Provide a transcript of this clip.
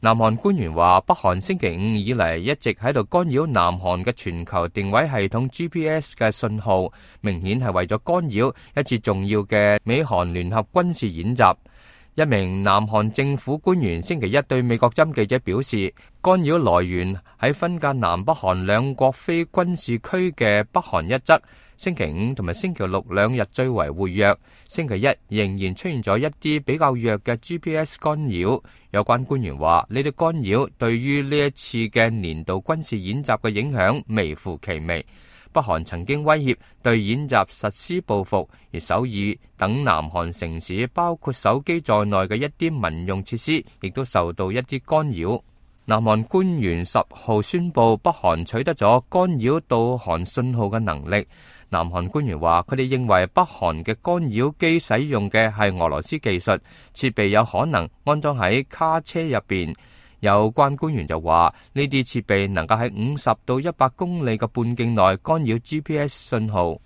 南韓官員話，北韓星期五以嚟一直喺度干擾南韓嘅全球定位系統 GPS 嘅信號，明顯係為咗干擾一次重要嘅美韓聯合軍事演習。一名南韓政府官員星期一對美國針記者表示，干擾來源喺分隔南北韓兩國非軍事區嘅北韓一側，星期五同埋星期六兩日最為活躍，星期一仍然出現咗一啲比較弱嘅 GPS 干擾。有關官員話，呢啲干擾對於呢一次嘅年度軍事演習嘅影響微乎其微。北韓曾經威脅對演習實施報復，而首爾等南韓城市，包括手機在內嘅一啲民用設施，亦都受到一啲干擾。南韓官員10號宣布，北韓取得咗干擾導航信號嘅能力。南韓官員話，佢哋認為北韓嘅干擾機使用嘅係俄羅斯技術，設備有可能安裝喺卡車入邊。有關官員就話，呢啲設備能夠喺50到100公里嘅半徑內干擾 GPS 信號。